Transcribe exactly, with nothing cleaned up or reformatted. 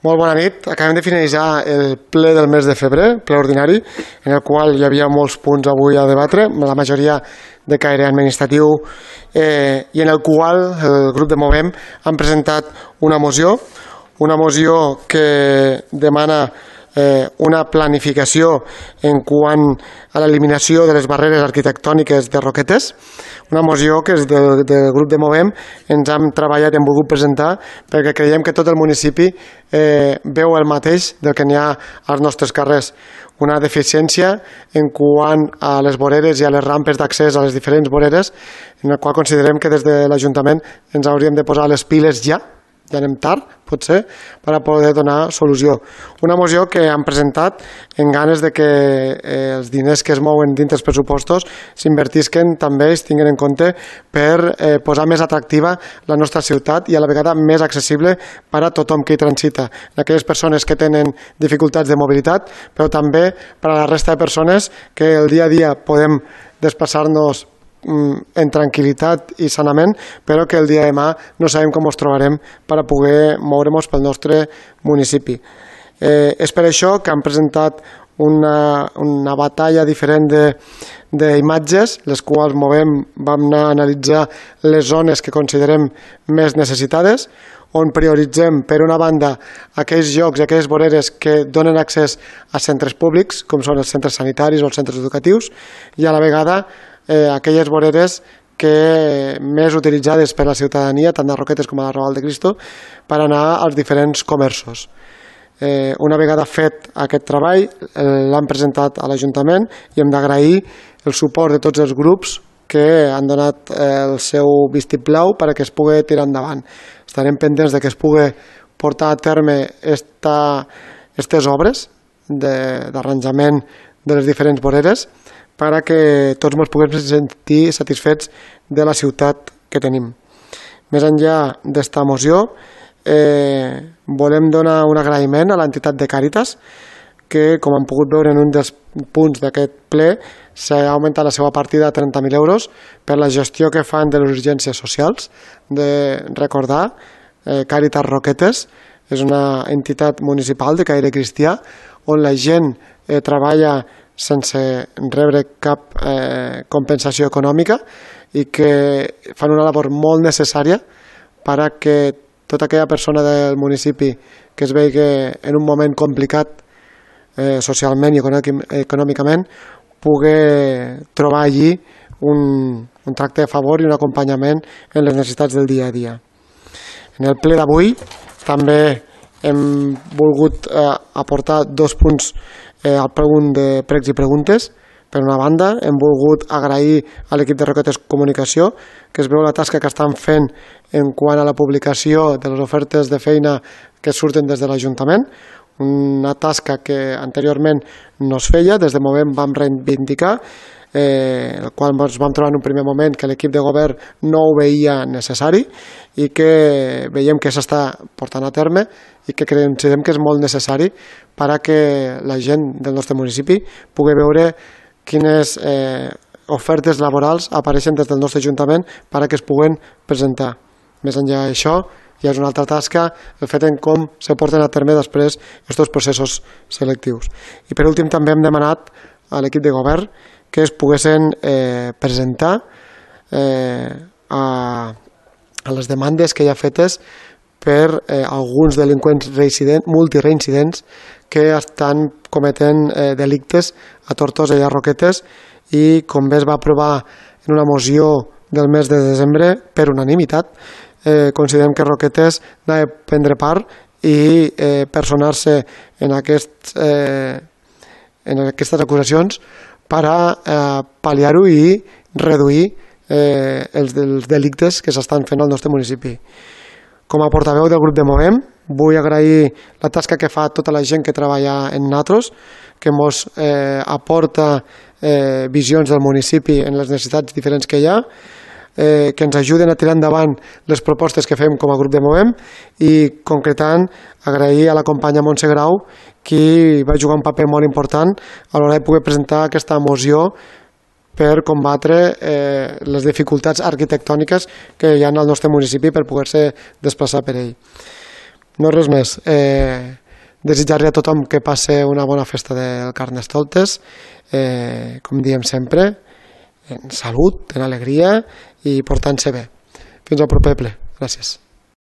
Molt bona nit. Acabem de finalitzar el ple del mes de febrer, ple ordinari, en el qual hi havia molts punts avui a debatre, la majoria de caire administratiu, eh, i en el qual el grup de Movem han presentat una moció, una moció que demana eh, una planificació en quant a l'eliminació de les barreres arquitectòniques de Roquetes, una moció que des del, del grup de Movem ens hem treballat i hem volgut presentar perquè creiem que tot el municipi eh, veu el mateix del que n'hi ha als nostres carrers. Una deficiència en quant a les voreres i a les rampes d'accés a les diferents voreres, en la qual considerem que des de l'Ajuntament ens hauríem de posar les piles ja, ja anem tard, potser, per a poder donar solució. Una moció que han presentat en ganes de que eh, els diners que es mouen dins dels pressupostos s'invertisquen també, es tinguin en compte per eh, posar més atractiva la nostra ciutat i a la vegada més accessible per a tothom que hi transita. Aquelles persones que tenen dificultats de mobilitat, però també per a la resta de persones que el dia a dia podem desplaçar-nos en tranquil·litat i sanament, però que el dia de demà no sabem com ens trobarem per a poder moure'ns pel nostre municipi. Eh, és per això que han presentat una, una batalla diferent d'imatges, les quals Movem vam anar a analitzar les zones que considerem més necessitades, on prioritzem, per una banda, aquells llocs i aquelles voreres que donen accés a centres públics, com són els centres sanitaris o els centres educatius, i a la vegada eh, aquelles voreres que més utilitzades per la ciutadania, tant de Roquetes com a la Raval de Cristo, per anar als diferents comerços. Eh, una vegada fet aquest treball, eh, l'han presentat a l'Ajuntament i hem d'agrair el suport de tots els grups que han donat eh, el seu vistiplau perquè es pugui tirar endavant. Estarem pendents de que es pugui portar a terme aquestes obres d'arranjament de les diferents voreres perquè tots ens puguem sentir satisfets de la ciutat que tenim. Més enllà d'esta moció, eh, volem donar un agraïment a l'entitat de Càritas, que, com han pogut veure en un dels punts d'aquest ple, s'ha augmentat la seva partida a trenta mil euros per la gestió que fan de les urgències socials. De recordar, eh, Càritas Roquetes és una entitat municipal de caire cristià on la gent eh, treballa sense rebre cap eh, compensació econòmica i que fan una labor molt necessària per a que tota aquella persona del municipi que es vegi en un moment complicat eh, socialment i econòmicament pugui trobar allí un, un tracte de favor i un acompanyament en les necessitats del dia a dia. En el ple d'avui també hem volgut eh, aportar dos punts eh, al punt de pregs i preguntes. Per una banda, hem volgut agrair a l'equip de Roquetes Comunicació, que es veu la tasca que estan fent en quant a la publicació de les ofertes de feina que surten des de l'Ajuntament, una tasca que anteriorment no es feia, des de Movem vam reivindicar, eh, el qual ens vam trobar en un primer moment que l'equip de govern no ho veia necessari i que veiem que s'està portant a terme i que considerem que és molt necessari per a que la gent del nostre municipi pugui veure quines eh, ofertes laborals apareixen des del nostre Ajuntament per a que es puguen presentar. Més enllà d'això, hi ha una altra tasca, el fet en com se porten a terme després aquests processos selectius. I per últim també hem demanat a l'equip de govern que es poguessin eh, presentar eh, a, a les demandes que hi ha fetes per eh, alguns delinqüents multireincidents que estan cometent eh, delictes a Tortosa i a Roquetes i, com bé es va aprovar en una moció del mes de desembre per unanimitat, eh, considerem que Roquetes ha de prendre part i eh, personar-se en, aquest, eh, en aquestes acusacions per a eh, pal·liar-ho i reduir eh, els, els delictes que s'estan fent al nostre municipi. Com a portaveu del grup de Movem, vull agrair la tasca que fa tota la gent que treballa en nosaltres, que ens eh, aporta eh, visions del municipi en les necessitats diferents que hi ha, eh, que ens ajuden a tirar endavant les propostes que fem com a grup de Movem i, concretant, agrair a la companya Montse Grau, qui va jugar un paper molt important a l'hora de poder presentar aquesta moció per combatre eh, les dificultats arquitectòniques que hi ha al nostre municipi per poder-se desplaçar per ell. No res més. Eh, desitjar-li a tothom que passe una bona festa del Carnestoltes, eh, com diem sempre, en salut, en alegria i portant-se bé. Fins al proper ple. Gràcies.